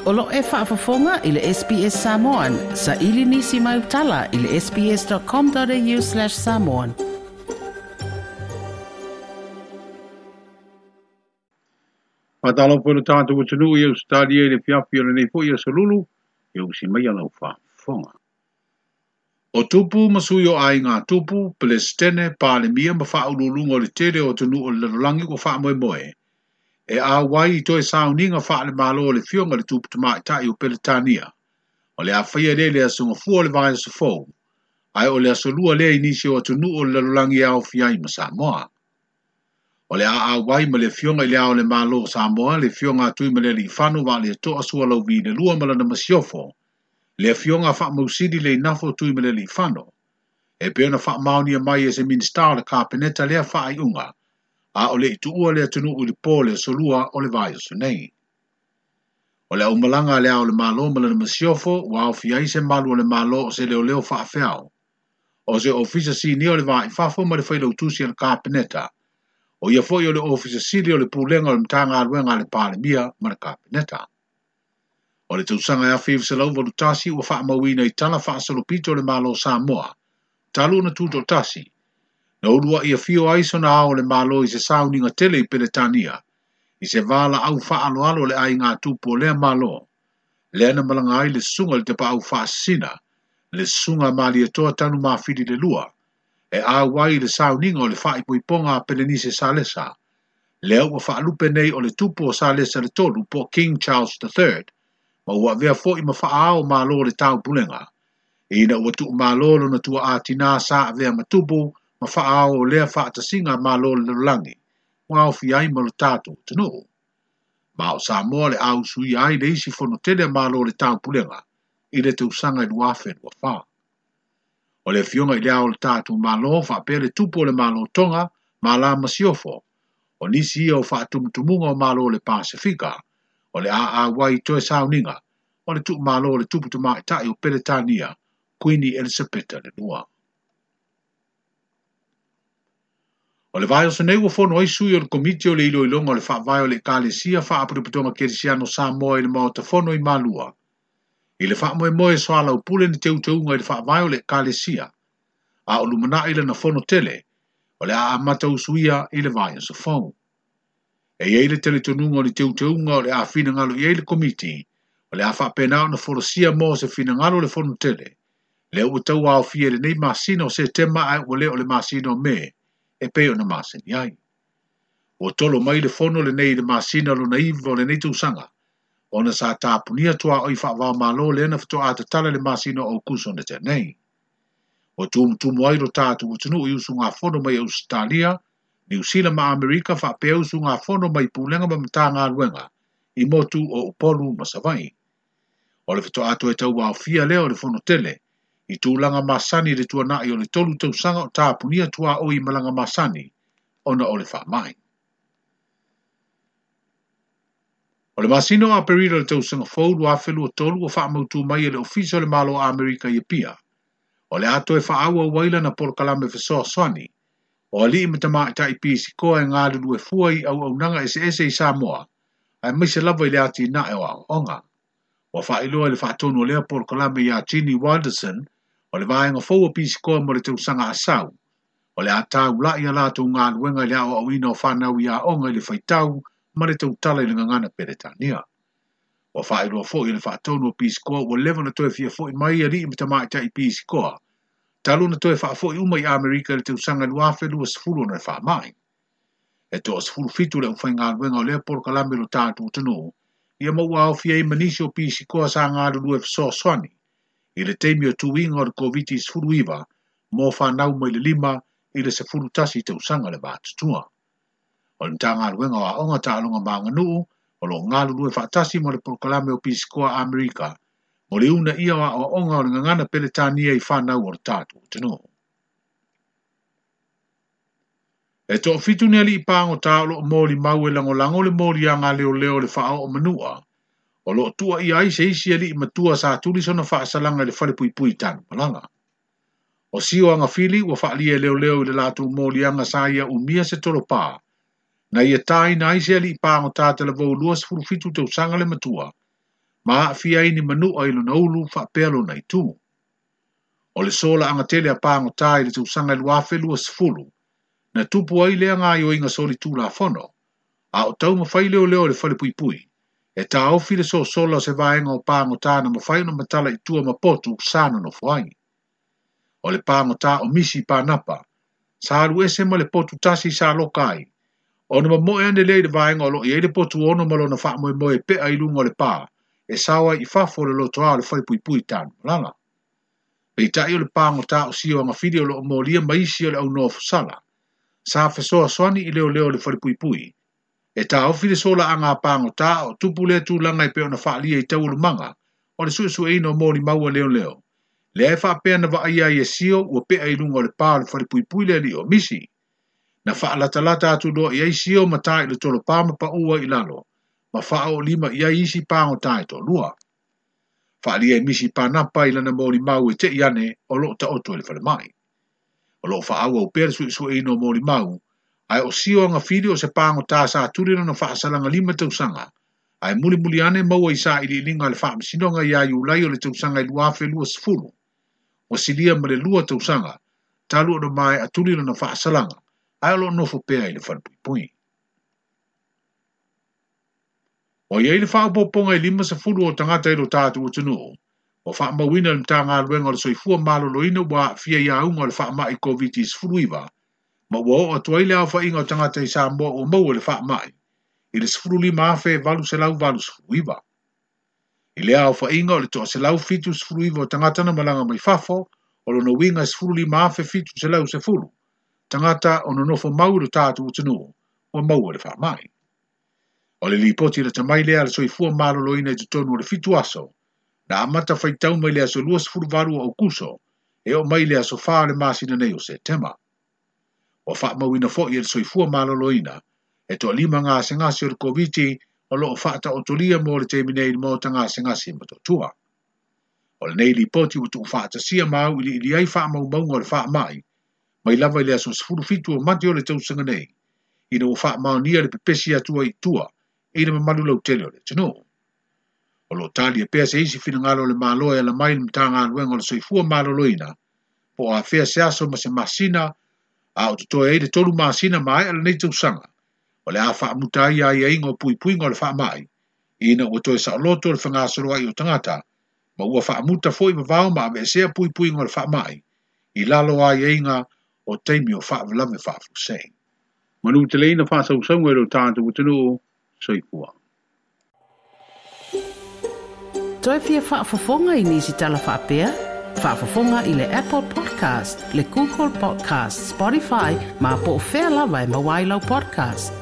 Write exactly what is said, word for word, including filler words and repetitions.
O lo e faafofoga i le S B S Samoan. Sa ili nisi mai utala i le sbs.com.au slash samoan. Whātalo po le tātou atunuu i Australia i le fiafi o lenei foi aso lulu, e usi mai a lau faafofoga. O tupu ma sui o aiga tupu, Pelestene, Palemia ma faauluuluga o le tele o atunuu o le lalolagi ua faamoemoe. E auai i toe sauniga faale-malo o le fioga le tupu tamaitai o Peretania. O le afaia lea i le aso gafua o le vaiaso fou, ae o le aso lua lea i nisi o atunuu o le lalolagi e aofia ai ma Samoa. O le a auai ma le fioga i le ao o le Malo o Samoa, le fioga a Tuimalealiifano Vaaletoa Sualauvi le lua ma lana masiofo, le afioga faamausili le inafo Tuimalealiifano. E pei ona faamaonia mai e se Minisita o le Kapeneta lea faaiuga, a o le ituua le atunuu i le po le aso lua o le vaiaso nei. O le aumalaga a le ao o le Malo ma lana masiofo ua aofia ai se malu o le Malo o se leoleo faafeao, o se ofisa sinia o le vai fafo ma le failautusi a le Kapeneta, o ia foi o le ofisa sili o le pulega o le Matagaluega a le Palemia ma le Kapeneta. O le tausaga e afe iva selau valu tasi ua faamauina i tala faasolopito o le Malo o Samoa, talu ona tutoatasi, na uluai afio ai sona ao o le Malo i se sauniga tele i Peretania, i se valaau faaaloalo o le aiga tupu o lea Malo, lea na malaga ai le susuga i le tapaau faasisina, le susuga a Malietoa Tanumafili le lua, e auai i le sauniga o le faaipoipoga a Pelenise Salesa, lea ua faalupe nei o le tupu o Salesa le tolu po King Charles the Third, ma ua avea foi ma faaao malo o le taupulega, ina ua tuumalo lona tuaatinā sa avea ma tupu ma faaao o lea faatasiga malo o le lalolagi, ua aofia ai ma lo tatou atunuu. Ma o Samoa le ausuia ai le isi fono tele a malo o le taupulega i le tausaga i lua afe lua fa. O le afioga i le ao o le tatou Malo faapea le tupu o le Malo Tonga ma la masiofo, o nisi ia o faatumutumuga o malo o le Pasifika, o le a auai toe sauniga o le tuumalo o le tupu tamaitai o Peretania, Kuini Elisapeta le lua. O le vaiaso nei ua fono ai sui o le komiti o le iloiloga o le faavae o le Ekalesia Faapotopotoga Kerisiano Samoa i le Maota Fono i Malua. I le faamoemoe soalaupule ni teuteuga i le faavae o le Ekalesia, a o lumanai lana fono tele, o le a amata usuia i le vaiaso fou. E iai le talitonuga o ni teuteuga o le a finagalo i ai le komiti, o le a faapena ona folasia mo se finagalo o le fono tele, lea ua tau aofia i lenei masina o Setema ae ua le o le masina o Me, e pei ona masani ai. Ua tolo mai le fono lenei i le masina lona iva o lenei tausaga, ona sa tapunia tuaoi faavaomalo lea na faatoa tatala le masina o Aukuso na tea nei. Ua tumutumu ai lo tatou atunuu i usugafono mai Ausetalia, Niu Sila ma Amerika faapea usugafono mai pulega ma Matagaluega i motu o Upolu ma Savaii. O le faatoa toe tauaofia lea o le fono tele, i tulaga masani i le tuanai o le tolu tausaga o tapunia tuaoi i malaga masani ona o le faamai. O le masina o Aperila o le tausaga fou lua afe lua tolu ua faamautu mai e le Ofisa o le Malo o Amerika i Apia. O le a toe faaauau ai lana polokalame fesoasoani, o alii ma tamaitai pisikoa e galulue fua i auaunaga eseese i Samoa, aemaise lava i le atinae o aoaoga. Ua faailoa i le faatonu o lea polokalame ia Ginny Wilderson, o le vaega fou o pisikoa mo le tausaga asau, o le a taulai a latou galuega i le aoaoina o fanau i aoga i le faitau ma le tautala i le gagana Peretania. Ua faailoa foi i le faatonu o pisikoa ua leva ona toe fiafoi mai alii ma tamaitai pisikoa, talu ona toe faafoi uma i Amerika i le tausaga lua afe lua sefulu ona le faamai. E toasefulu fitu le aufaigaluega o lea polokalame lo tatou atunuu, ia ma ua aofia ai ma nisi o pisikoa sa galulue fesoasoani i le taimi o tuiga o le COVID sefulu iva mo fanau mai le lima i le sefulu tasi tausaga le vatutua. O le Matagaluega o Aoga Taaloga ma Aganuu o loo galulue faatasi mo le polokalame o pisikoa Amerika mo le una ia o aoaoga o le gagana Peretania i fanau o le tatou atunuu. E toafitu ni alii pagota o loo molimau e lagolago le moliaga leoleo o le faaoo manua, o loo tuuaia ai se isi alii matua sa tuli sona faasalaga i le falepuipui Tanumalala. O Sio Agafili ua faalia e leoleo i le latou moliaga sa ia umia se tolopā, na ia tāina ai se alii pagota talavou lua sefulu fitu tausaga le matua, Ma aafia ai ni manu'a i lona ulu faapea lona itu. O le solaaga tele a pagotā i le tausaga e luafe luasefulu, na tupu ai lea gaoioiga solitulafono, a o taumafai leoleo o le falepuipui, e taofi le sosola o se vaega o pagotā na mafai ona matala i tua ma potu sa nonofo ai. O le pagotā o Misi Panapa, sa alu ese ma le potu tasi sa loka ai, ona mamoe ane lea i le vaega o loo i ai le potu ono ma lona faamoemoe e pe'a i luga o le pā, e sao ai i fafo o le lotoa o le falepuipui Tanumalala. Peitai o le pagotā o Sio Agafili o loo molia ma isi o le au nofosala, sa fesoasoani i leoleo o le falepuipui, e taofi le solaaga a pagotā o tupu lea tulaga e pei ona faaalia i taualumaga o le suesueina o molimau a leoleo. Lea e faapea na vaaia ai e Sio ua pe'a i luga o le pā o le falepuipui le alii o Misi. Na faalatalata atu loa i ai Sio ma tā i le tolopā ma paʻu ai i lalo, ma faaoolima i ai isi pagotā e toalua. Faaalia e Misi Panapa i lana molimau e te'i ane o loo taoto i le falemai. O loo faaauau pea le suesueina o molimau, ae o Sio Agafili o se pagotā sa tuli lona faasalaga lima tausaga, ae mulimuli ane maua i sailiiliga a le faamasinoga iā Iulai o le tausaga e luafe luasefulu. Ua silia ma le lua tausaga, talu ona mae'a tuli lona faasalaga, ae o loo nofo pea i le falepuipui. Ua i ai le faaopoopoga e limasefulu o tagata i lo tatou atunuu, ua faamauina e le Matagaluega o le Soifua Maloloina ua aafia i auga o le faamai Koviti sefuluiva, ma ua oo atu ai le aofaiga o tagata i Samoa ua maua i le faamai, i le sefululima afe valu selau valusefulu iva. I lea aofaiga o le toaselau fitu sefulu iva o tagata na malaga mai fafo, o lona uiga e sefululima afe fitu selau sefulu, tagata o nonofo mau i lo tatou atunuu, ua maua i le faamai. O le lipoti lata mai lea a le Soifua Maloloina i totonu o le fitu aso, na amata faitau mai le aso luasefuluvalu o Aukuso, e oo mai le aso fa o le masina nei o Setema. Ua faamauina foi e le Soifua Maloloina, e toalima gasegase o le Koviti o loo faataotolia mo le taimi nei i le maota gasegase i Motootua. O lenei lipoti ua tuufaatasia ma auiliili ai faamaumauga o le faamai, mai lava i le aso sefulu fitu o Mati o le tausaga nei, ina ua faamaonia le pepesi atu ai i tua i le mamalu lautele o le atunuu. O loo talia pea se isi finagalo o le Malo e ala mai i le Matagaluega o le Soifua Maloloina, po o afea se aso ma se masina, a o totoe ai le tolu masina maea lenei tausaga, o le a faamuta ai aiaiga o puipuiga o le faamai, ina ua toe saoloto le fegasoloai o tagata, ma ua faamuta foi vavao ma aveesea puipuiga o le faamai, i lalo o aiaiga o taimi o faalavelave faafuasei. Manuteleina faasausauga i lo tatou atunuu, soifua. Toe fia faafofoga i nisi tala faapea? Faafofoga i le Apple Podcast, le Google Podcast, Spotify, ma po o fea lava e maua ai lau podcast.